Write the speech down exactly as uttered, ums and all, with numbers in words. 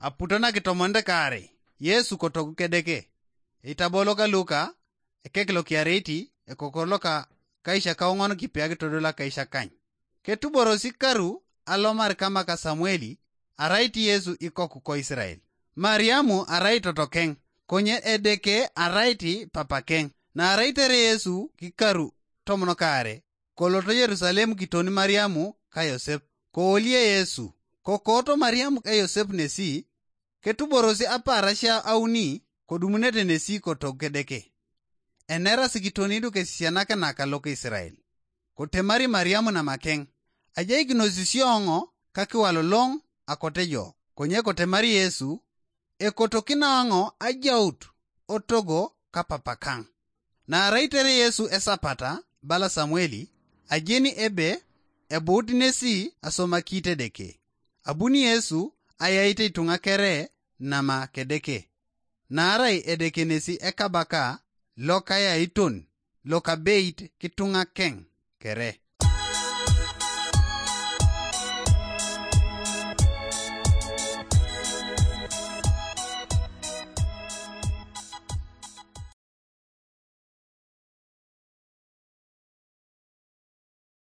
Aputo nakitomonit kaarei, Yesu kotogu Kedeke. Eitabo loka Luka, ekek lokiareiti, ekokor loka kaishakaoŋon kipiak todol akaishakany. Ketuborosi karu alomar kamaka Samueli, arait Yesu ikoku ko Israel. Mariamu arai totokeŋ, konye Edeke arait papakeŋ. Naarai tere Yesu kikaru tomon kaare, koloto Yerusalem kiton Mariamu ka Yosep, koolie Yesu. Kokooto Mariamu ka Yosep nesi, ketuborosi apaarasia auni kodumunete nesi kotog Kedeke. Enerasi kitoni du kesisianakinak loka Israel. Kotemari Mariamu namakeŋ, ajaikinos isioŋo kakiwaloloŋ akotejo, konye kotemari Yesu, ekotokinaoŋo ajaut otogo kapapakaŋ. Naarai tere Yesu esapata, bala Samueli, ajeni ebe ebuut nesi asomaki Edeke. Abuni Yesu ayaite ituŋa kere nama Kedeke. Naarai Edeke nesi ekabaka lokayaiton lokabeit kituŋakeŋ kere.